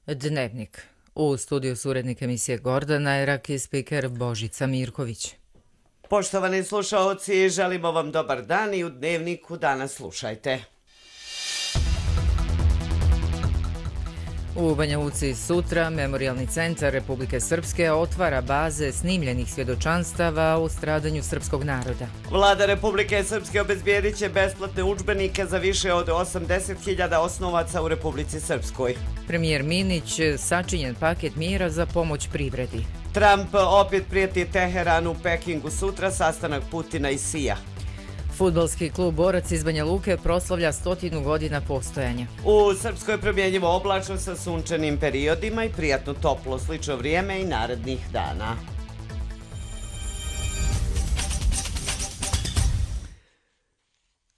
Dnevnik. U studiju su urednik emisije Gordana Erak i spiker Božica Mirković. Poštovani slušaoci, želimo vam dobar dan i u Dnevniku danas slušajte. U Banja Luci sutra Memorijalni centar Republike Srpske otvara baze snimljenih svjedočanstava o stradanju srpskog naroda. Vlada Republike Srpske obezbijedit će besplatne udžbenike za više od 80.000 osnovaca u Republici Srpskoj. Premijer Minić sačinjen paket mjera za pomoć privredi. Trump opet prijeti Teheranu u Pekingu sutra, sastanak Putina i Sija. Fudbalski klub Borac iz Banja Luke proslavlja 100 godina postojanja. U Srpskoj promjenjivo oblačno sa sunčanim periodima i prijatno toplo, slično vrijeme i narednih dana.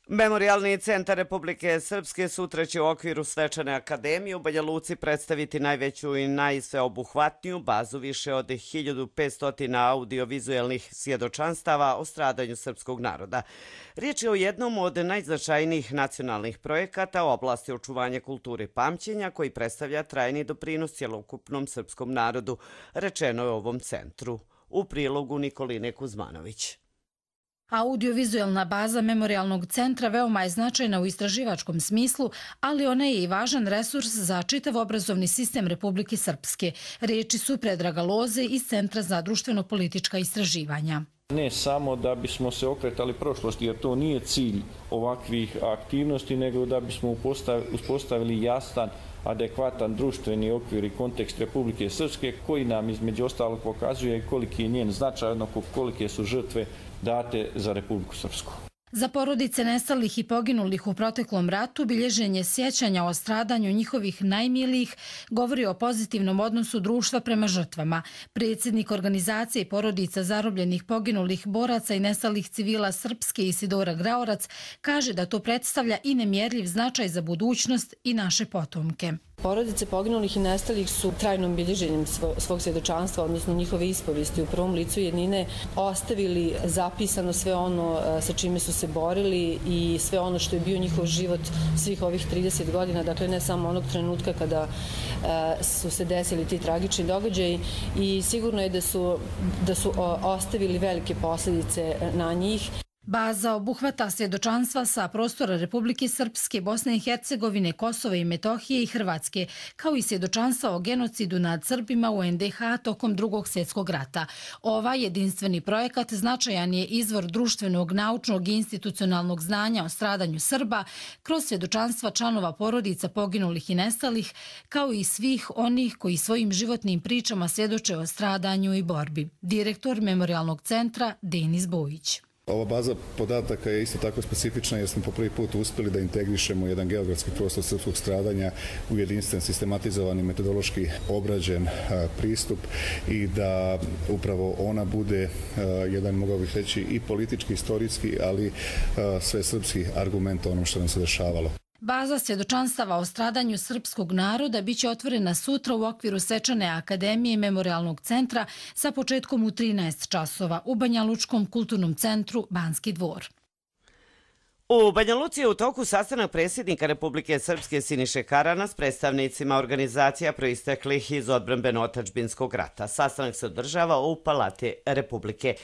Memorijalni centar Republike Srpske sutra će u okviru Svečane akademije u Banja Luci predstaviti najveću i najsveobuhvatniju bazu više od 1500 audiovizualnih svjedočanstava o stradanju srpskog naroda. Riječ je o jednom od najznačajnijih nacionalnih projekata u oblasti očuvanja kulture i pamćenja koji predstavlja trajni doprinos cjelokupnom srpskom narodu, rečeno je u ovom centru. U prilogu Nikoline Kuzmanović. Audiovizualna baza Memorijalnog centra veoma je značajna u istraživačkom smislu, ali ona je i važan resurs za čitav obrazovni sistem Republike Srpske. Riječi su Predraga Loze iz Centra za društveno-politička istraživanja. Ne samo da bismo se okretali prošlosti, jer to nije cilj ovakvih aktivnosti, nego da bismo uspostavili jasan, adekvatan društveni okvir i kontekst Republike Srpske, koji nam između ostalog pokazuje koliki je njen značaj, odnosno kolike su žrtve date za Republiku Srpsku. Za porodice nestalih i poginulih u proteklom ratu bilježenje sjećanja o stradanju njihovih najmilijih govori o pozitivnom odnosu društva prema žrtvama. Predsjednik organizacije porodica zarobljenih poginulih boraca i nestalih civila Srpske Isidora Graorac kaže da to predstavlja i nemjerljiv značaj za budućnost i naše potomke. Porodice poginulih i nestalih su trajnom bilježenjem svog svjedočanstva, odnosno njihove ispovesti u prvom licu jednine, ostavili zapisano sve ono sa čime su se borili i sve ono što je bio njihov život svih ovih 30 godina, dakle ne samo onog trenutka kada su se desili ti tragični događaji, i sigurno je da su ostavili velike posljedice na njih. Baza obuhvata svjedočanstva sa prostora Republike Srpske, Bosne i Hercegovine, Kosova i Metohije i Hrvatske, kao i svjedočanstva o genocidu nad Srbima u NDH tokom Drugog svjetskog rata. Ovaj jedinstveni projekat značajan je izvor društvenog, naučnog i institucionalnog znanja o stradanju Srba kroz svjedočanstva članova porodica poginulih i nestalih, kao i svih onih koji svojim životnim pričama svjedoče o stradanju i borbi. Direktor Memorijalnog centra Denis Bojić. Ova baza podataka je isto tako specifična jer smo po prvi put uspjeli da integrišemo jedan geografski prostor srpskog stradanja u jedinstven, sistematizovani, metodološki obrađen pristup i da upravo ona bude jedan, mogao bih reći, i politički, historijski, ali sve srpski argument o onom što nam se dešavalo. Baza svjedočanstava o stradanju srpskog naroda biće otvorena sutra u okviru Svečane akademije Memorijalnog centra sa početkom u 13 časova u Banja Lučkom kulturnom centru Banski dvor. U Banja Luci je u toku sastanak predsjednika Republike Srpske Siniše Karana s predstavnicima organizacija proisteklih iz odbrambeno-otadžbinskog rata. Sastanak se održava u Palati Republike.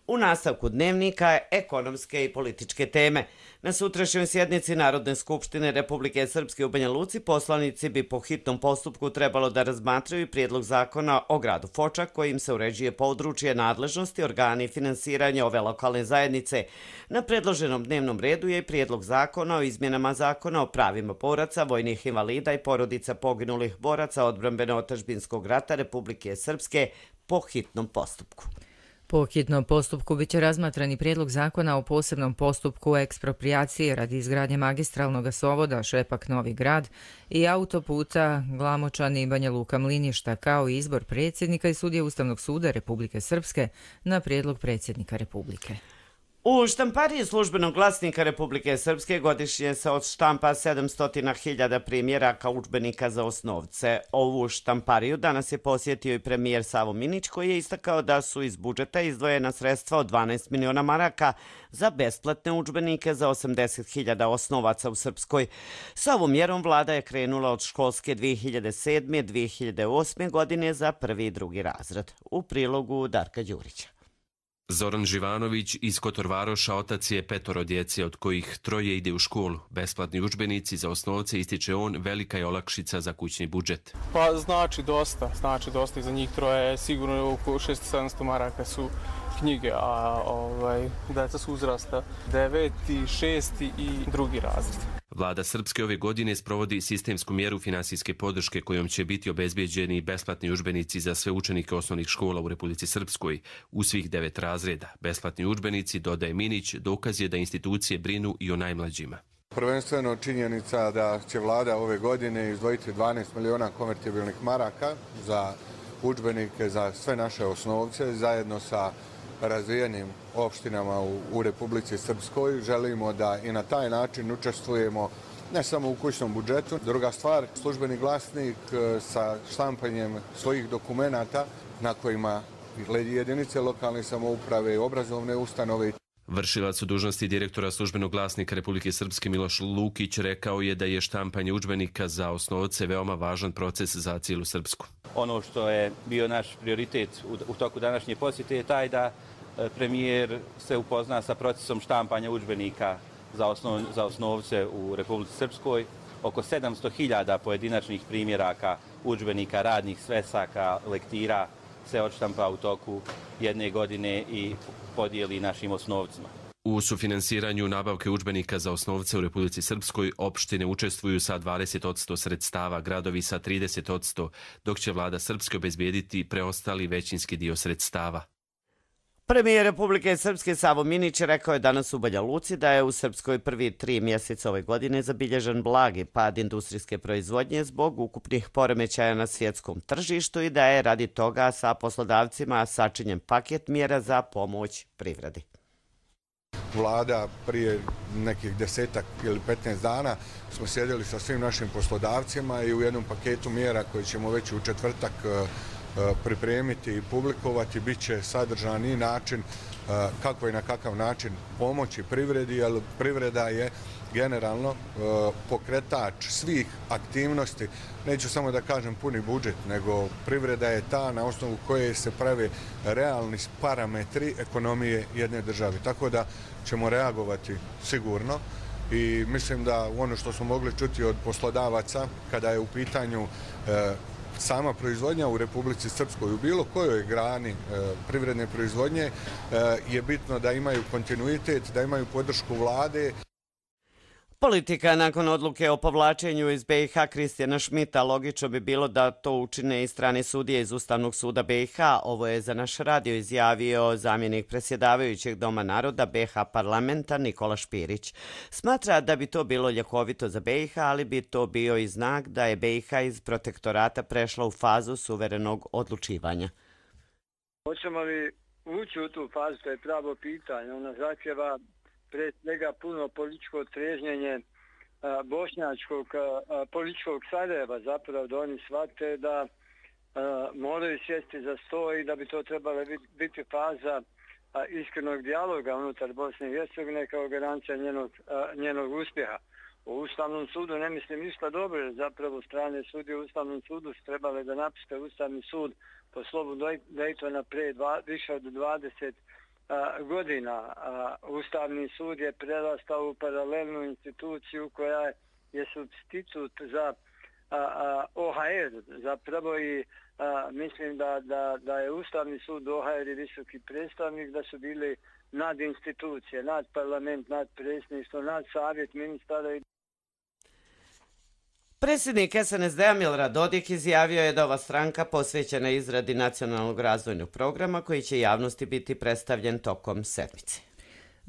U nastavku Dnevnika ekonomske i političke teme. Na sutrašnjoj sjednici Narodne skupštine Republike Srpske u Banja Luci poslanici bi po hitnom postupku trebalo da razmatraju prijedlog zakona o gradu Foča kojim se uređuje područje nadležnosti, organi i finansiranja ove lokalne zajednice. Na predloženom dnevnom redu je i prijedlog zakona o izmjenama zakona o pravima boraca, vojnih invalida i porodica poginulih boraca odbrambeno-otadžbinskog rata Republike Srpske po hitnom postupku. Po hitnom postupku biće razmatran i prijedlog zakona o posebnom postupku eksproprijacije radi izgradnje magistralnog gasovoda Šepak-Novi Grad i autoputa Glamočani i Banja Luka-Mliništa, kao i izbor predsjednika i sudije Ustavnog suda Republike Srpske na prijedlog predsjednika Republike. U štampariji Službenog glasnika Republike Srpske godišnje se odštampa 700.000 primjeraka udžbenika za osnovce. Ovu štampariju danas je posjetio i premijer Savo Minić, koji je istakao da su iz budžeta izdvojena sredstva od 12 miliona maraka za besplatne udžbenike za 80.000 osnovaca u Srpskoj. Sa ovom mjerom vlada je krenula od školske 2007-2008. godine za prvi i drugi razred. U prilogu Darka Đurića. Zoran Živanović iz Kotorvaroša otac je 5 djece, od kojih 3 ide u školu. Besplatni udžbenici za osnovce, ističe on, velika je olakšica za kućni budžet. Pa znači dosta i za njih 3 sigurno oko 600-700 maraka su knjige, a deca su uzrasta 9., 6. i drugi razred. Vlada Srpske ove godine sprovodi sistemsku mjeru finansijske podrške kojom će biti obezbijeđeni besplatni udžbenici za sve učenike osnovnih škola u Republici Srpskoj u svih 9 razreda. Besplatni udžbenici, dodaje Minić, dokaz je da institucije brinu i o najmlađima. Prvenstveno činjenica da će vlada ove godine izdvojiti 12 miliona konvertibilnih maraka za udžbenike za sve naše osnovce zajedno sa razvijenim opštinama u Republici Srpskoj. Želimo da i na taj način učestvujemo ne samo u kućnom budžetu. Druga stvar, Službeni glasnik sa štampanjem svojih dokumenata na kojima jedinice lokalne samouprave i obrazovne ustanove. Vršilac u dužnosti direktora Službenog glasnika Republike Srpske Miloš Lukić rekao je da je štampanje udžbenika za osnovce veoma važan proces za cijelu Srpsku. Ono što je bio naš prioritet u toku današnje posjete je taj da premijer se upozna sa procesom štampanja udžbenika za osnovce u Republici Srpskoj. Oko 700.000 pojedinačnih primjeraka udžbenika, radnih svesaka, lektira se odštampa u toku jedne godine i podijeli našim osnovcima. U sufinansiranju nabavke udžbenika za osnovce u Republici Srpskoj opštine učestvuju sa 20% sredstava, gradovi sa 30%, dok će vlada Srpske obezbijediti preostali većinski dio sredstava. Premijer Republike Srpske Savo Minić rekao je danas u Banja Luci da je u Srpskoj prvi 3 mjeseca ove godine zabilježen blagi pad industrijske proizvodnje zbog ukupnih poremećaja na svjetskom tržištu i da je radi toga sa poslodavcima sačinjen paket mjera za pomoć privredi. Vlada prije nekih 10 ili 15 dana smo sjedili sa svim našim poslodavcima i u jednom paketu mjera koji ćemo već u četvrtak pripremiti i publikovati bit će sadržan i način kako i na kakav način pomoći privredi, jer privreda je generalno pokretač svih aktivnosti. Neću samo da kažem puni budžet, nego privreda je ta na osnovu koje se prave realni parametri ekonomije jedne države. Tako da ćemo reagovati sigurno i mislim da ono što smo mogli čuti od poslodavaca kada je u pitanju sama proizvodnja u Republici Srpskoj u bilo kojoj grani privredne proizvodnje je bitno da imaju kontinuitet, da imaju podršku vlade. Politika nakon odluke o povlačenju iz BiH Kristijana Šmita logično bi bilo da to učine i strane sudije iz Ustavnog suda BiH. Ovo je za naš radio izjavio zamjenik predsjedavajućeg Doma naroda BiH parlamenta Nikola Špirić. Smatra da bi to bilo ljekovito za BiH, ali bi to bio i znak da je BiH iz protektorata prešla u fazu suverenog odlučivanja. Hoćemo li ući u tu fazu, to je pravo pitanje. Ona zahtjeva pre svega puno političko trežnjenje bošnjačkog političkog Sarajeva, zapravo da oni shvate da moraju sjesti za sto i da bi to trebala biti faza iskrenog dijaloga unutar Bosne i Hercegovine kao garancija njenog uspjeha. U Ustavnom sudu ne mislim ništa dobro, jer zapravo strane sudije u Ustavnom sudu su trebale da napuste Ustavni sud po slovu Daytona pre više od 20 godina. Ustavni sud je prerastao u paralelnu instituciju koja je supstitut za OHR. Zapravo i mislim da je Ustavni sud, OHR i visoki predstavnik da su bili nad institucije, nad parlament, nad predsjedništvo, nad savjet ministara. Predsjednik SNSD-a Milorad Dodik izjavio je da ova stranka posvećena izradi nacionalnog razvojnog programa koji će javnosti biti predstavljen tokom sedmice.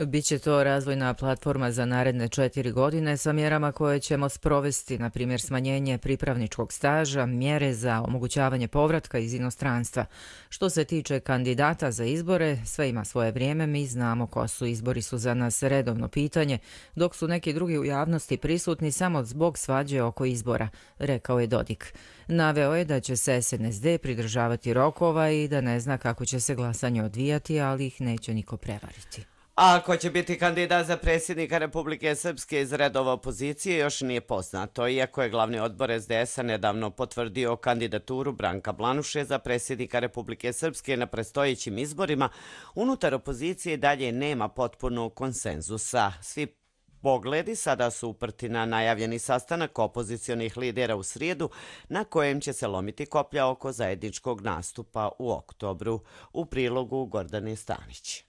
Biće to razvojna platforma za naredne 4 godine sa mjerama koje ćemo sprovesti, na primjer smanjenje pripravničkog staža, mjere za omogućavanje povratka iz inostranstva. Što se tiče kandidata za izbore, sve ima svoje vrijeme, mi znamo ko su. Izbori su za nas redovno pitanje, dok su neki drugi u javnosti prisutni samo zbog svađe oko izbora, rekao je Dodik. Naveo je da će se SNSD pridržavati rokova i da ne zna kako će se glasanje odvijati, ali ih neće niko prevariti. A ko će biti kandidat za predsjednika Republike Srpske iz redova opozicije još nije poznato, iako je glavni odbor SDS-a nedavno potvrdio kandidaturu Branka Blanuše za predsjednika Republike Srpske na predstojećim izborima. Unutar opozicije dalje nema potpunog konsenzusa. Svi pogledi sada su uprti na najavljeni sastanak opozicionih lidera u srijedu, na kojem će se lomiti koplja oko zajedničkog nastupa u oktobru. U prilogu Gordane Stanić.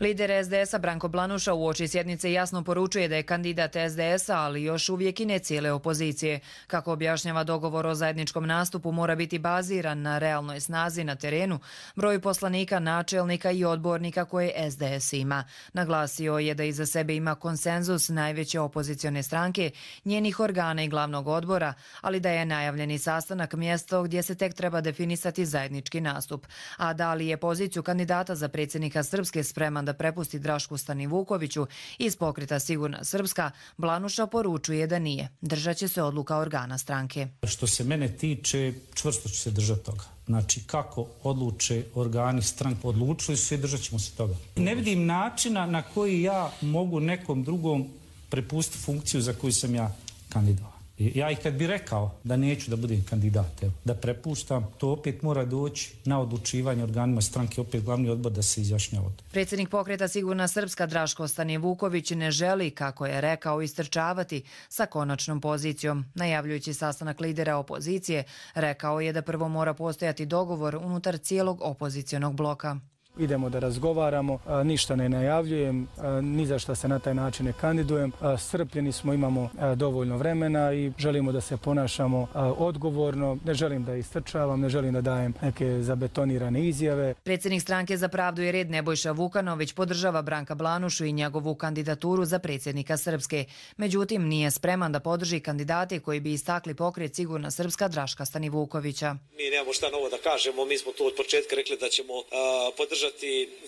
Lider SDS-a Branko Blanuša uoči sjednice jasno poručuje da je kandidat SDS-a, ali još uvijek i ne cijele opozicije. Kako objašnjava, dogovor o zajedničkom nastupu mora biti baziran na realnoj snazi na terenu, broju poslanika, načelnika i odbornika koje SDS ima. Naglasio je da iza sebe ima konsenzus najveće opozicione stranke, njenih organa i glavnog odbora, ali da je najavljeni sastanak mjesto gdje se tek treba definisati zajednički nastup. A da li je poziciju kandidata za predsjednika Srpske spreman da prepusti Drašku Stanivukoviću iz pokreta Sigurna Srpska, Blanuša poručuje da nije. Držat će se odluka organa stranke. Što se mene tiče, čvrsto ću se držati toga. Znači, kako odluče organi stranke, odlučili su i držat ćemo se toga. Ne vidim načina na koji ja mogu nekom drugom prepustiti funkciju za koju sam ja kandidat. Ja i kad bi rekao da neću da budem kandidat, da prepuštam, to opet mora doći na odlučivanje organima stranke, opet glavni odbor da se izjašnjava. Predsjednik pokreta Sigurna Srpska Draško Stanivuković ne želi, kako je rekao, istrčavati sa konačnom pozicijom. Najavljujući sastanak lidera opozicije, rekao je da prvo mora postojati dogovor unutar cijelog opozicionog bloka. Idemo da razgovaramo, ništa ne najavljujem, ni za šta se na taj način ne kandidujem. Strpljeni smo, imamo dovoljno vremena i želimo da se ponašamo odgovorno. Ne želim da istrčavam, ne želim da dajem neke zabetonirane izjave. Predsjednik stranke Za pravdu i red Nebojša Vukanović podržava Branka Blanušu i njegovu kandidaturu za predsjednika Srpske. Međutim, nije spreman da podrži kandidate koji bi istakli pokret Sigurna Srpska Draška Stanivukovića. Mi nemamo šta novo da kažemo, mi smo tu od početka rekli da ćemo podržati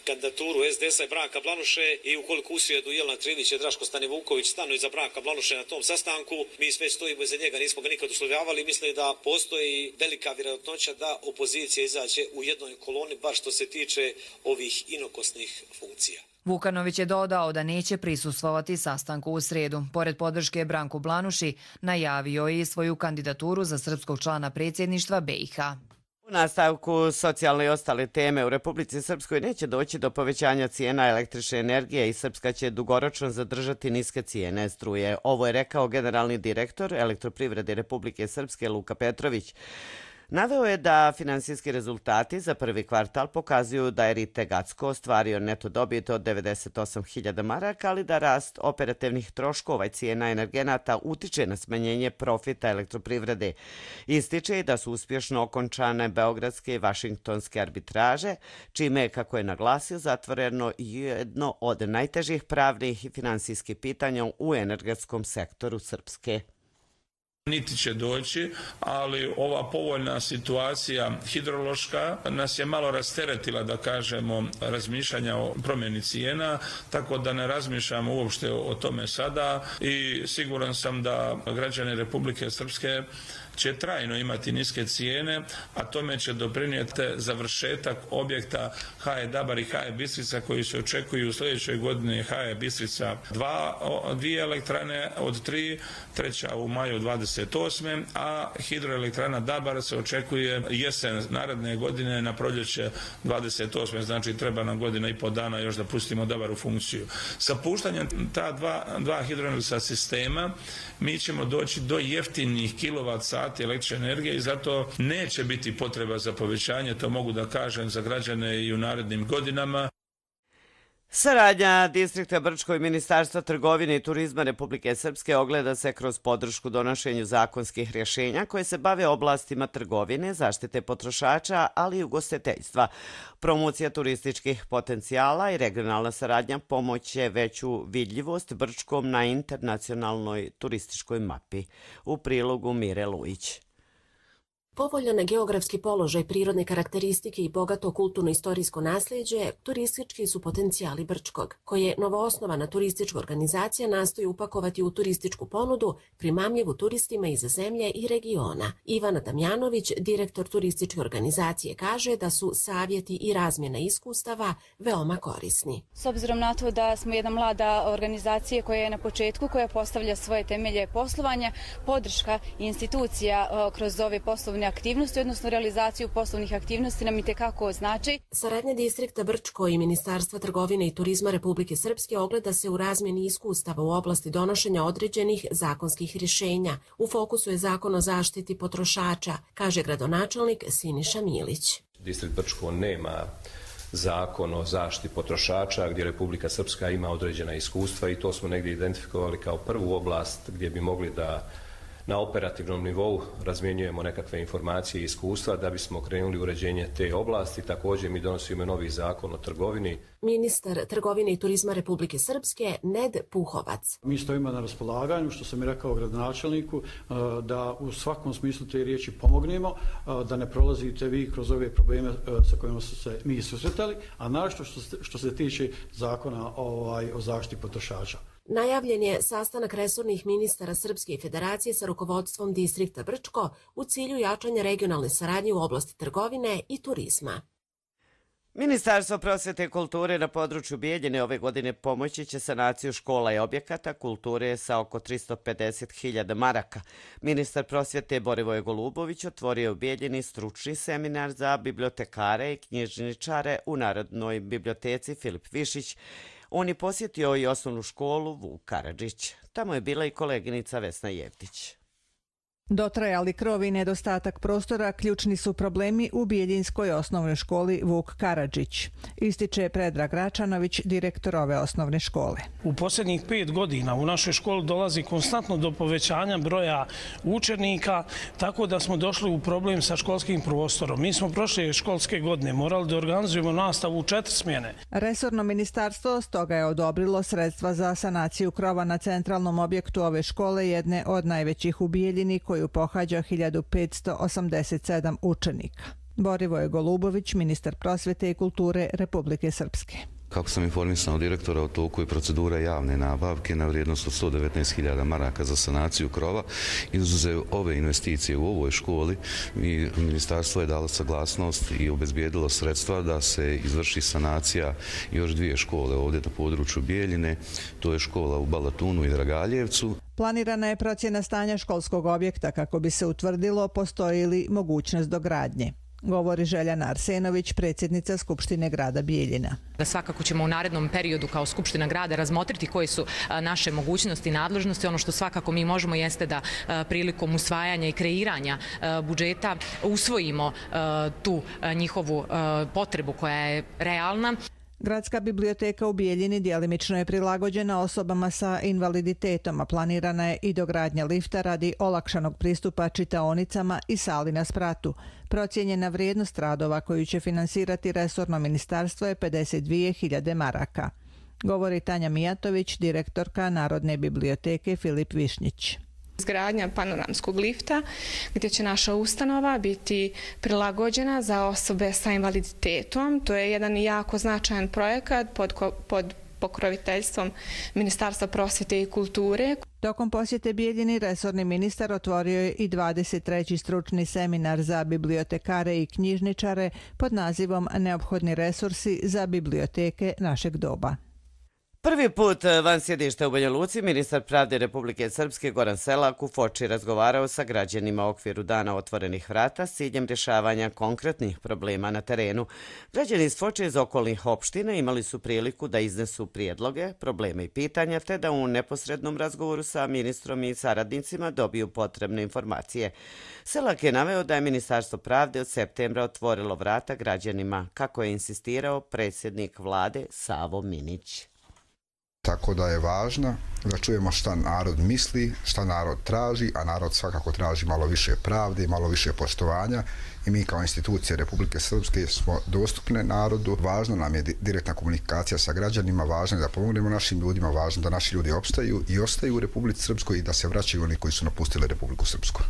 kandidaturu SDS-a i Branka Blanuše i ukoliko usjedu Jelena Trivić i Draško Stanivuković stanu iza Branka Blanuše na tom sastanku, mi sve stojimo iza njega, nismo ga nikad uslovljavali. Mislim da postoji velika vjerojatnoća da opozicija izađe u jednoj koloni, bar što se tiče ovih inokosnih funkcija. Vukanović je dodao da neće prisustvovati sastanku u srijedu. Pored podrške Branku Blanuši, najavio je i svoju kandidaturu za srpskog člana predsjedništva BiH. U nastavku socijalne i ostale teme, u Republici Srpskoj neće doći do povećanja cijena električne energije i Srpska će dugoročno zadržati niske cijene struje. Ovo je rekao generalni direktor Elektroprivrede Republike Srpske Luka Petrović. Naveo je da finansijski rezultati za prvi kvartal pokazuju da je RITE Gacko ostvario neto dobit od 98.000 maraka, ali da rast operativnih troškova i cijena energenata utiče na smanjenje profita elektroprivrede. Ističe i da su uspješno okončane beogradske i vašingtonske arbitraže, čime je, kako je naglasio, zatvoreno jedno od najtežih pravnih i finansijskih pitanja u energetskom sektoru Srpske. Niti će doći, ali ova povoljna situacija hidrološka nas je malo rasteretila, da kažemo, razmišljanja o promjeni cijena, tako da ne razmišljamo uopšte o tome sada i siguran sam da građani Republike Srpske će trajno imati niske cijene, a tome će doprinijeti završetak objekta HE Dabar i HE Bistrica koji se očekuju u sljedećoj godini. HE Bistrica 2 elektrane od 3, treća u maju 28. a hidroelektrana Dabar se očekuje jesen naredne godine na proljeće 28. Znači treba nam godina i pol dana još da pustimo Dabar u funkciju. Sa puštanjem ta dva hidroelektrana sistema mi ćemo doći do jeftinih kilovat-sati električne energije i zato neće biti potreba za povećanje, to mogu da kažem za građane i u narednim godinama. Saradnja Distrikta Brčko i Ministarstva trgovine i turizma Republike Srpske ogleda se kroz podršku donošenju zakonskih rješenja koje se bave oblastima trgovine, zaštite potrošača, ali i ugostiteljstva. Promocija turističkih potencijala i regionalna saradnja pomoće veću vidljivost Brčkom na internacionalnoj turističkoj mapi. U prilogu Mire Lujić. Povoljan geografski položaj, prirodne karakteristike i bogato kulturno-istorijsko nasljeđe turistički su potencijali Brčkog, koje novoosnovana turistička organizacija nastoji upakovati u turističku ponudu primamljivu turistima iz zemlje i regiona. Ivana Damjanović, direktor turističke organizacije, kaže da su savjeti i razmjena iskustava veoma korisni. S obzirom na to da smo jedna mlada organizacija koja je na početku, koja postavlja svoje temelje poslovanja, podrška institucija kroz ove poslovne aktivnosti, odnosno realizaciju poslovnih aktivnosti nam itekako znači. Saradnja Distrikta Brčko i Ministarstva trgovine i turizma Republike Srpske ogleda se u razmjeni iskustava u oblasti donošenja određenih zakonskih rješenja. U fokusu je zakon o zaštiti potrošača, kaže gradonačelnik Siniša Milić. Distrikt Brčko nema zakon o zaštiti potrošača gdje Republika Srpska ima određena iskustva i to smo negdje identifikovali kao prvu oblast gdje bi mogli da na operativnom nivou razmjenjujemo nekakve informacije i iskustva da bismo krenuli uređenje te oblasti. Također mi donosimo novi zakon o trgovini. Ministar trgovine i turizma Republike Srpske Ned Puhovac. Mi stojimo na raspolaganju, što sam i rekao gradonačelniku, da u svakom smislu te riječi pomognemo, da ne prolazite vi kroz ove probleme sa kojima su se mi susretali, a našto što se tiče zakona o zaštiti potrošača. Najavljen je sastanak resornih ministara Srpske federacije sa rukovodstvom Distrikta Brčko u cilju jačanja regionalne saradnje u oblasti trgovine i turizma. Ministarstvo prosvjete i kulture na području Bijeljine ove godine pomoći će sanaciju škola i objekata kulture sa oko 350.000 maraka. Ministar prosvjete Borivoje Golubović otvorio u Bijeljini stručni seminar za bibliotekare i knjižničare u Narodnoj biblioteci Filip Višić. On je posjetio i osnovnu školu Vuk Karadžić. Tamo je bila i koleginica Vesna Jevtić. Dotrajali krov i nedostatak prostora ključni su problemi u Bijeljinskoj osnovnoj školi Vuk Karadžić, ističe Predrag Račanović, direktor ove osnovne škole. U posljednjih 5 godina u našoj školi dolazi konstantno do povećanja broja učenika, tako da smo došli u problem sa školskim prostorom. Mi smo prošle školske godine morali da organizujemo nastavu u 4 smjene. Resorno ministarstvo stoga je odobrilo sredstva za sanaciju krova na centralnom objektu ove škole, jedne od najvećih u Bijeljini, koju pohađa 1587 učenika. Borivoje Golubović, ministar prosvjete i kulture Republike Srpske. Kako sam informisan od direktora, u toku je procedura javne nabavke na vrijednost od 119.000 maraka za sanaciju krova. Izuzev ove investicije u ovoj školi, ministarstvo je dalo saglasnost i obezbijedilo sredstva da se izvrši sanacija još 2 škole ovdje na području Bijeljine. To je škola u Balatunu i Dragaljevcu. Planirana je procjena stanja školskog objekta kako bi se utvrdilo postoji li mogućnost dogradnje, govori Željana Arsenović, predsjednica Skupštine grada Bijeljina. Svakako ćemo u narednom periodu kao Skupština grada razmotriti koje su naše mogućnosti i nadležnosti. Ono što svakako mi možemo jeste da prilikom usvajanja i kreiranja budžeta usvojimo tu njihovu potrebu koja je realna. Gradska biblioteka u Bijeljini djelimično je prilagođena osobama sa invaliditetom, a planirana je i dogradnja lifta radi olakšanog pristupa čitaonicama i sali na spratu. Procijenjena vrijednost radova koju će finansirati resorno ministarstvo je 52.000 maraka, govori Tanja Mijatović, direktorka Narodne biblioteke Filip Višnjić. Izgradnja panoramskog lifta gdje će naša ustanova biti prilagođena za osobe sa invaliditetom. To je jedan jako značajan projekat pod pokroviteljstvom Ministarstva prosvjete i kulture. Tokom posjete Bijeljini resorni ministar otvorio je i 23. stručni seminar za bibliotekare i knjižničare pod nazivom Neophodni resursi za biblioteke našeg doba. Prvi put van sjedišta u Banja Luci ministar pravde Republike Srpske Goran Selak u Foči razgovarao sa građanima u okviru Dana otvorenih vrata s ciljem rješavanja konkretnih problema na terenu. Građani iz Foče iz okolnih opština imali su priliku da iznesu prijedloge, probleme i pitanja, te da u neposrednom razgovoru sa ministrom i saradnicima dobiju potrebne informacije. Selak je naveo da je Ministarstvo pravde od septembra otvorilo vrata građanima, kako je insistirao predsjednik vlade Savo Minić. Tako da je važno da čujemo šta narod misli, šta narod traži, a narod svakako traži malo više pravde i malo više poštovanja i mi kao institucije Republike Srpske smo dostupne narodu. Važno nam je direktna komunikacija sa građanima, važno je da pomognemo našim ljudima, važno da naši ljudi opstaju i ostaju u Republici Srpskoj i da se vraćaju oni koji su napustili Republiku Srpsku.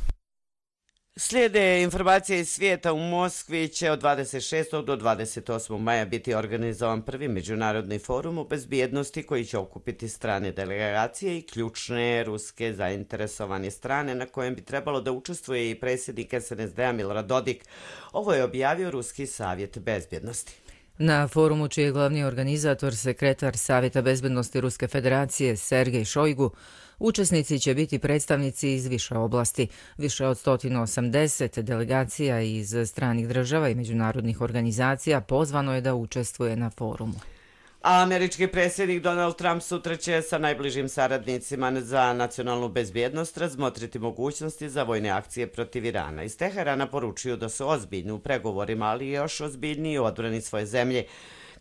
Slijede informacije iz svijeta. U Moskvi će od 26. do 28. maja biti organizovan prvi međunarodni forum o bezbjednosti koji će okupiti strane delegacije i ključne ruske zainteresovane strane na kojem bi trebalo da učestvuje i predsjednik SNSD-a Milorad Dodik. Ovo je objavio Ruski savjet bezbjednosti. Na forumu čiji je glavni organizator sekretar Savjeta bezbednosti Ruske federacije Sergej Šojgu, učesnici će biti predstavnici iz više oblasti. Više od 180 delegacija iz stranih država i međunarodnih organizacija pozvano je da učestvuje na forumu. A američki predsjednik Donald Trump sutra će sa najbližim saradnicima za nacionalnu bezbjednost razmotriti mogućnosti za vojne akcije protiv Irana. Iz Teherana poručuju da su ozbiljni u pregovorima, ali još ozbiljniji u odbrani svoje zemlje.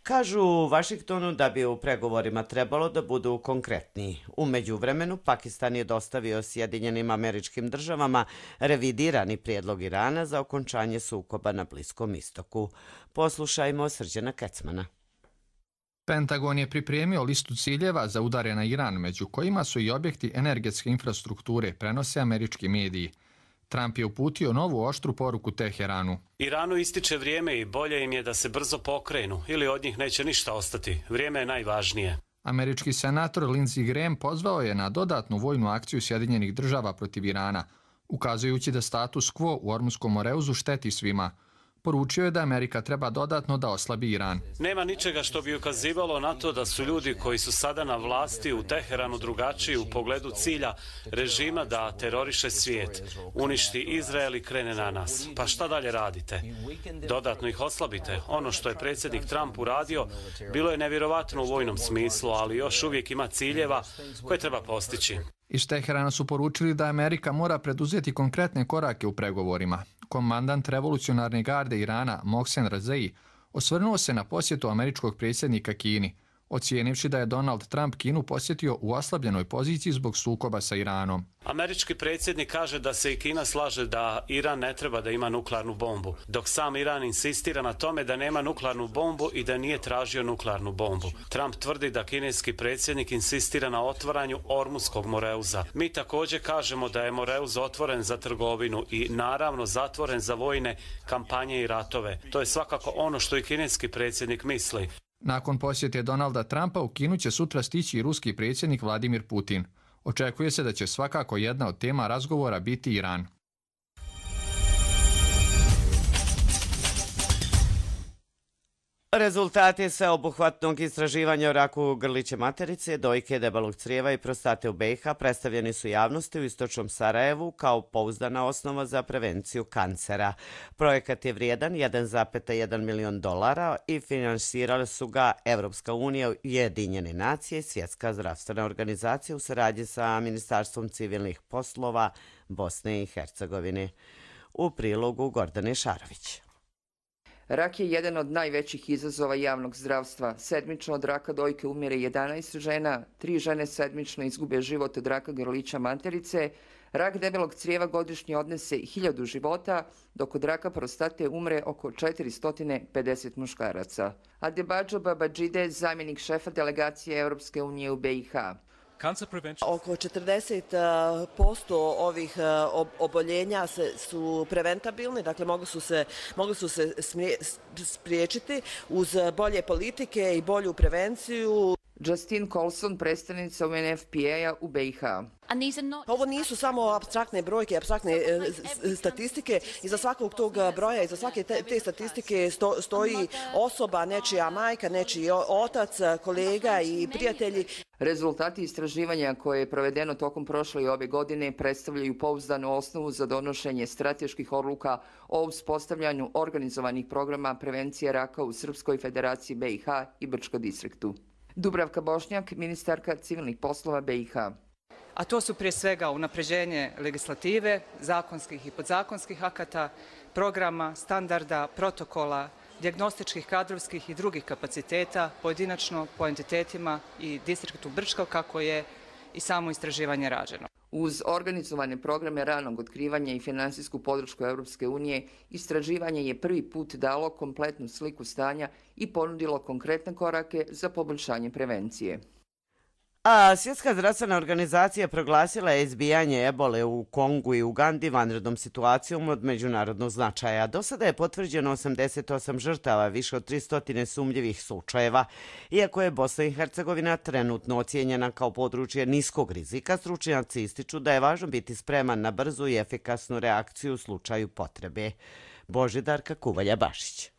Kažu u Vašingtonu da bi u pregovorima trebalo da budu konkretniji. U međuvremenu, Pakistan je dostavio Sjedinjenim Američkim Državama revidirani prijedlog Irana za okončanje sukoba na Bliskom istoku. Poslušajmo Srđana Kecmana. Pentagon je pripremio listu ciljeva za udare na Iran, među kojima su i objekti energetske infrastrukture, prenose američki mediji. Trump je uputio novu oštru poruku Teheranu. Iranu ističe vrijeme i bolje im je da se brzo pokrenu ili od njih neće ništa ostati. Vrijeme je najvažnije. Američki senator Lindsey Graham pozvao je na dodatnu vojnu akciju Sjedinjenih Država protiv Irana, ukazujući da status quo u Ormuškom moreuzu šteti svima. Poručio je da Amerika treba dodatno da oslabi Iran. Nema ničega što bi ukazivalo na to da su ljudi koji su sada na vlasti u Teheranu drugačiji u pogledu cilja režima da teroriše svijet, uništi Izrael i krene na nas. Pa šta dalje radite? Dodatno ih oslabite. Ono što je predsjednik Trump uradio bilo je nevjerovatno u vojnom smislu, ali još uvijek ima ciljeva koje treba postići. Iz Teherana su poručili da Amerika mora preduzeti konkretne korake u pregovorima. Komandant revolucionarne garde Irana Mohsen Razei osvrnuo se na posjetu američkog predsjednika Kini, ocijenivši da je Donald Trump Kinu posjetio u oslabljenoj poziciji zbog sukoba sa Iranom. Američki predsjednik kaže da se i Kina slaže da Iran ne treba da ima nuklearnu bombu, dok sam Iran insistira na tome da nema nuklearnu bombu i da nije tražio nuklearnu bombu. Trump tvrdi da kineski predsjednik insistira na otvaranju Ormuskog moreuza. Mi također kažemo da je moreuz otvoren za trgovinu i naravno zatvoren za vojne kampanje i ratove. To je svakako ono što i kineski predsjednik misli. Nakon posjete Donalda Trumpa u Kinu će sutra stići i ruski predsjednik Vladimir Putin. Očekuje se da će svakako jedna od tema razgovora biti Iran. Rezultati sveobuhvatnog istraživanja o raku grlića materice, dojke, debelog crijeva i prostate u BiH predstavljeni su javnosti u istočnom Sarajevu kao pouzdana osnova za prevenciju kancera. Projekat je vrijedan $1,1 milion i finansirali su ga Evropska unija, Ujedinjene nacije i Svjetska zdravstvena organizacija u saradnji sa Ministarstvom civilnih poslova Bosne i Hercegovine. U prilogu Gordane Šarović. Rak je jedan od najvećih izazova javnog zdravstva. Sedmično od raka dojke umire 11 žena, 3 žene sedmično izgube život od raka grlića materice, rak debelog crijeva godišnje odnese 1000 života, dok od raka prostate umre oko 450 muškaraca. Adebađo Babadžide, zamjenik šefa delegacije Europske unije u BiH. Oko 40% ovih oboljenja su preventabilni, dakle mogu su se spriječiti uz bolje politike i bolju prevenciju. Justine Colson, predstavnica UNFPA-a u BiH. Ovo nisu samo apstraktne brojke, apstraktne statistike. Iza svakog tog broja, iza svake te statistike stoji osoba, nečija majka, nečiji otac, kolega i prijatelji. Rezultati istraživanja koje je provedeno tokom prošle i ove godine predstavljaju pouzdanu osnovu za donošenje strateških odluka o uspostavljanju organizovanih programa prevencije raka u Srpskoj federaciji BiH i Brčko distriktu. Dubravka Bošnjak, ministarka civilnih poslova BiH. A to su prije svega unapređenje legislative, zakonskih i podzakonskih akata, programa, standarda, protokola, dijagnostičkih, kadrovskih i drugih kapaciteta, pojedinačno po entitetima i distriktu Brčko, kako je i samo istraživanje rađeno. Uz organizovane programe ranog otkrivanja i finansijsku podršku Europske unije, istraživanje je prvi put dalo kompletnu sliku stanja i ponudilo konkretne korake za poboljšanje prevencije. A Svjetska zdravstvena organizacija proglasila je izbijanje ebole u Kongu i Ugandi vanrednom situacijom od međunarodnog značaja. Do sada je potvrđeno 88 žrtava, više od 300 sumnjivih slučajeva. Iako je Bosna i Hercegovina trenutno ocijenjena kao područje niskog rizika, stručnjaci ističu da je važno biti spreman na brzu i efikasnu reakciju u slučaju potrebe. Božidarka Kuvalja-Bašić.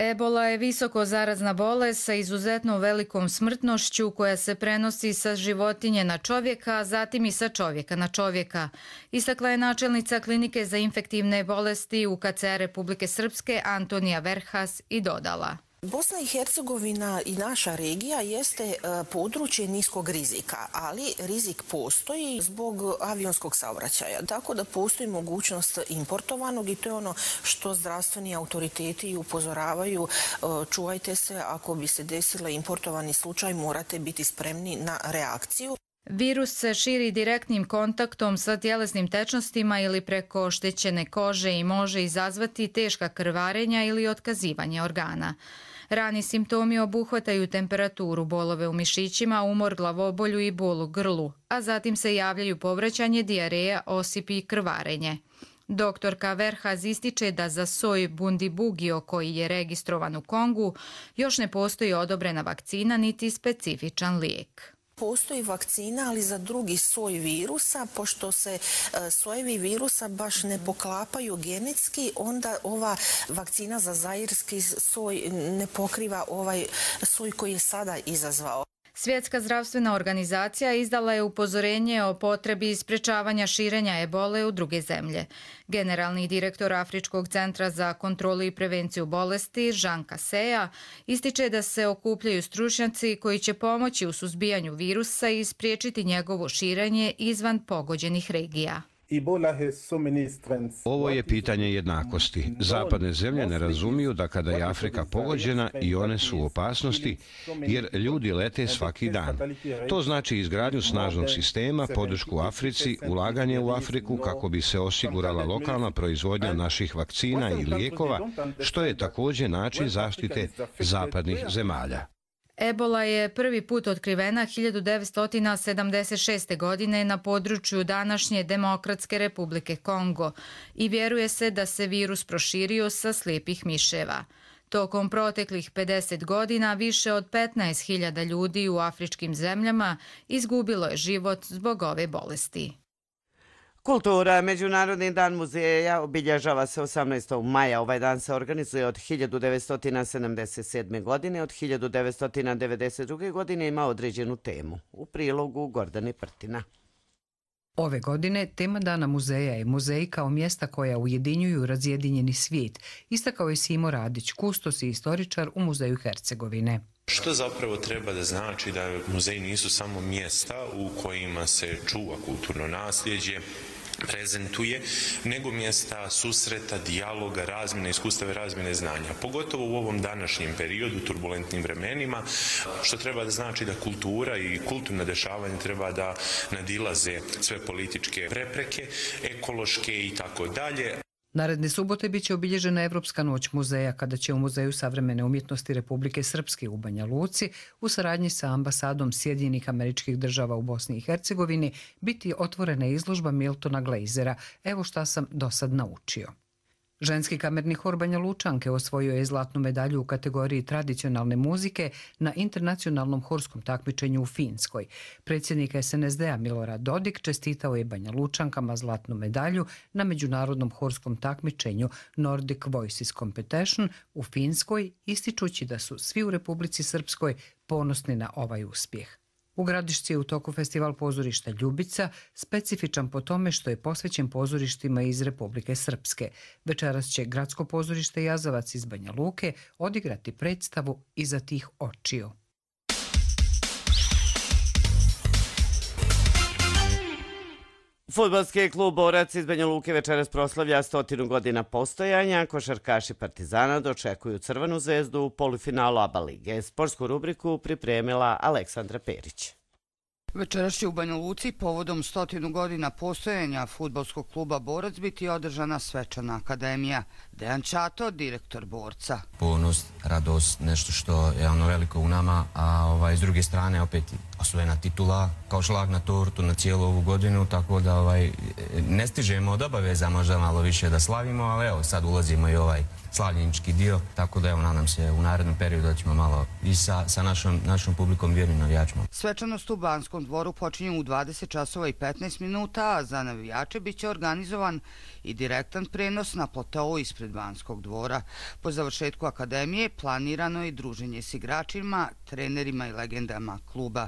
Ebola je visoko zarazna bolest sa izuzetno velikom smrtnošću koja se prenosi sa životinje na čovjeka, a zatim i sa čovjeka na čovjeka. Istakla je načelnica klinike za infektivne bolesti UKC Republike Srpske Antonija Verhas i dodala: Bosna i Hercegovina i naša regija jeste područje niskog rizika, ali rizik postoji zbog avionskog saobraćaja. Tako da postoji mogućnost importovanog i to je ono što zdravstveni autoriteti upozoravaju. Čuvajte se, ako bi se desila importovani slučaj, morate biti spremni na reakciju. Virus se širi direktnim kontaktom sa tjelesnim tečnostima ili preko oštećene kože i može izazvati teška krvarenja ili otkazivanje organa. Rani simptomi obuhvataju temperaturu, bolove u mišićima, umor, glavobolju i bol u grlu, a zatim se javljaju povraćanje, dijareja, osipi i krvarenje. Doktorka Verhas ističe da za soj Bundibugyo, koji je registrovan u Kongu, još ne postoji odobrena vakcina niti specifičan lijek. Postoji vakcina, ali za drugi soj virusa, pošto se sojevi virusa baš ne poklapaju genetski, onda ova vakcina za zairski soj ne pokriva ovaj soj koji je sada izazvao. Svjetska zdravstvena organizacija izdala je upozorenje o potrebi sprečavanja širenja ebole u druge zemlje. Generalni direktor Afričkog centra za kontrolu i prevenciju bolesti, Jean Kaseja, ističe da se okupljaju stručnjaci koji će pomoći u suzbijanju virusa i spriječiti njegovo širenje izvan pogođenih regija. Ovo je pitanje jednakosti. Zapadne zemlje ne razumiju da kada je Afrika pogođena i one su u opasnosti, jer ljudi lete svaki dan. To znači izgradnju snažnog sistema, podršku Africi, ulaganje u Afriku kako bi se osigurala lokalna proizvodnja naših vakcina i lijekova, što je također način zaštite zapadnih zemalja. Ebola je prvi put otkrivena 1976. godine na području današnje Demokratske republike Kongo i vjeruje se da se virus proširio sa slijepih miševa. Tokom proteklih 50 godina više od 15.000 ljudi u afričkim zemljama izgubilo je život zbog ove bolesti. Kultura. Međunarodni dan muzeja obilježava se 18. maja. Ovaj dan se organizuje od 1977. godine. Od 1992. godine ima određenu temu. U prilogu Gordane Prtina. Ove godine tema Dana muzeja je muzeji kao mjesta koja ujedinjuju razjedinjeni svijet, istakao je Simo Radić, kustos i istoričar u Muzeju Hercegovine. Što zapravo treba da znači da muzeji nisu samo mjesta u kojima se čuva kulturno nasljeđe, prezentuje, nego mjesta susreta, dijaloga, razmjene iskustava i razmjene znanja. Pogotovo u ovom današnjem periodu, turbulentnim vremenima, što treba da znači da kultura i kulturna dešavanja treba da nadilaze sve političke prepreke, ekološke i tako dalje. Naredne subote biće obilježena Evropska noć muzeja, kada će u Muzeju savremene umjetnosti Republike Srpske u Banja Luci u saradnji sa ambasadom Sjedinjenih Američkih Država u Bosni i Hercegovini biti otvorena izložba Miltona Glazera. Evo šta sam do sad naučio. Ženski kamerni hor Banja Lučanke osvojio je zlatnu medalju u kategoriji tradicionalne muzike na internacionalnom horskom takmičenju u Finskoj. Predsjednik SNSD-a Milorad Dodik čestitao je Banja Lučankama zlatnu medalju na međunarodnom horskom takmičenju Nordic Voices Competition u Finskoj, ističući da su svi u Republici Srpskoj ponosni na ovaj uspjeh. U Gradišci je u toku festival pozorišta Ljubica, specifičan po tome što je posvećen pozorištima iz Republike Srpske. Večeras će Gradsko pozorište Jazavac iz Banja Luke odigrati predstavu Iza tih očiju. Fudbalski klub Borac iz Banja Luke večeras proslavlja 100 godina postojanja. Košarkaši Partizana dočekuju Crvenu zvezdu u polufinalu ABA lige. Sportsku rubriku pripremila Aleksandra Perić. Večeras će u Banja Luci povodom 100 godina postojanja fudbalskog kluba Borac biti održana svečana akademija. Dejan Čato, direktor Borca. Ponos, radost, nešto što je veliko u nama, a s druge strane opet osvojena titula kao šlag na tortu na cijelu ovu godinu, tako da ne stižemo od obaveza možda malo više da slavimo, ali evo sad ulazimo i slavljenički dio, tako da nadam se u narednom periodu da ćemo malo i sa našom publikom vjernim navijačima. Svečanost u Banskom dvoru počinje u 20 časova i 15 minuta, a za navijače bit će organizovan i direktan prenos na platou ispred Banskog dvora. Po završetku akademije planirano je druženje s igračima, trenerima i legendama kluba.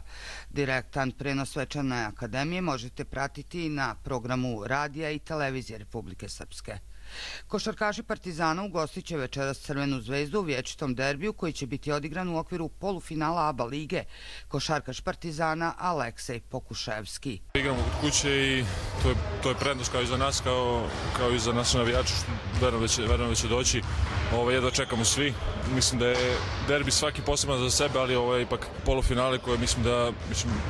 Direktan prenos svečane akademije možete pratiti na programu radija i televizije Republike Srpske. Košarkaši Partizana ugostit će večeras Crvenu zvezdu u vječitom derbiju koji će biti odigran u okviru polufinala ABA lige. Košarkaš Partizana Aleksej Pokuševski. Igramo kod kuće i to je prednost kao i za nas, kao i za naše navijače. Verujem da će doći. Jedva čekamo svi. Mislim da je derbi svaki poseban za sebe, ali ovo je ipak polufinale koje mislim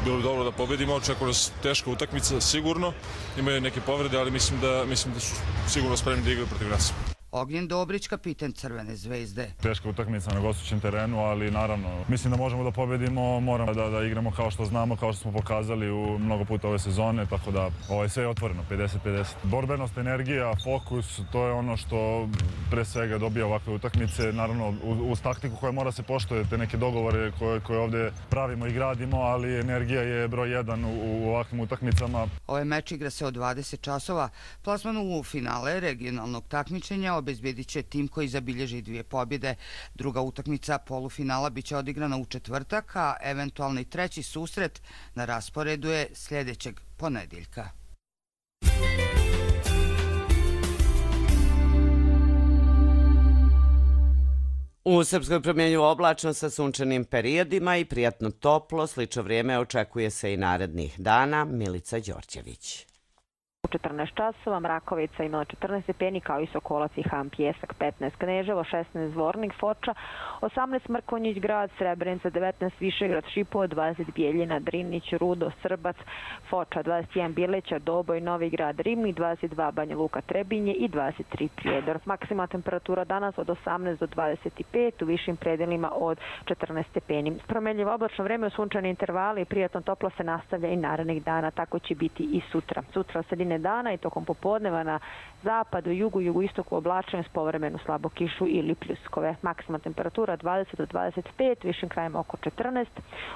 bilo dobro da pobedimo. Očekuje nas teška utakmica, sigurno. Imaju neke povrede, ali mislim da su sigurno spremni da igraju protiv nas. Ognjen Dobrić, kapiten Crvene zvezde. Teška utakmica na gostujućem terenu, ali naravno mislim da možemo da pobedimo, moramo da igramo kao što znamo, kao što smo pokazali u mnogo puta ove sezone, tako da sve je otvoreno, 50-50. Borbenost, energija, fokus, to je ono što pre svega dobija ovakve utakmice, naravno uz taktiku koja mora se poštovati, neke dogovore koje ovdje pravimo i gradimo, ali energija je broj 1 u ovakvim utakmicama. Ovaj meč igra se od 20 časova. Plasman u finale regionalnog takmičenja obezbedit će tim koji zabilježi 2 pobjede. Druga utakmica polufinala biće odigrana u četvrtak, a eventualni treći susret na rasporedu je sljedećeg ponedjeljka. U Srpskoj promjenju oblačno sa sunčanim periodima i prijatno toplo, slično vrijeme očekuje se i narednih dana. Milica Đorđević. U 14 časova Mrakovica imala 14 stepeni, kao i Sokolac i Ham, Pjesak 15, Kneževo 16, Zvornik, Foča 18, Mrkonjić grad, Srebrenica 19, Višegrad, Šipovo 20, Bijeljina, Drinić, Rudo, Srbac, Foča 21, Bileća, Doboj, Novi grad, Rimnik 22, Banja Luka, Trebinje i 23, Prijedor. Maksimalna temperatura danas od 18 do 25, u višim predelima od 14 stepeni. Promenljivo oblačno vreme u sunčane intervale i prijatno toplo se nastavlja i narednih dana, tako će biti i sutra. Sutra od sredine dana i tokom popodneva na zapadu, jugu, jugoistoku oblačenje s povremenu slabo kišu ili pljuskove. Maksimalna temperatura 20 do 25, višim krajem oko 14.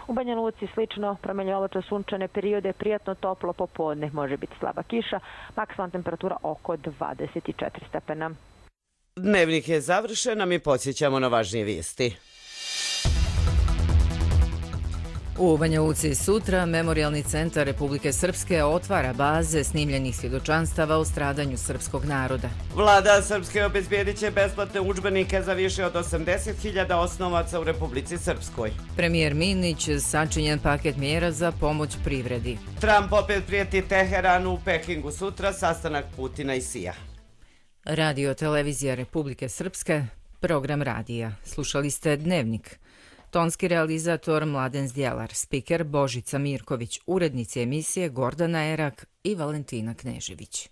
U Banja Luci slično, promenljivo oblačno sunčane periode, prijatno toplo popodne, može biti slaba kiša, maksimalna temperatura oko 24 stepena. Dnevnik je završen, a mi podsjećamo na važnije vijesti. U Banja Luci sutra Memorijalni centar Republike Srpske otvara baze snimljenih svjedočanstava o stradanju srpskog naroda. Vlada Srpske obezbijedit će besplatne udžbenike za više od 80.000 osnovaca u Republici Srpskoj. Premijer Minić sačinjen paket mjera za pomoć privredi. Trump opet prijeti Teheranu, u Pekingu sutra sastanak Putina i Sija. Radio televizija Republike Srpske, program radija. Slušali ste Dnevnik. Tonski realizator Mladen Zdjelar, spiker Božica Mirković, urednici emisije Gordana Erak i Valentina Knežević.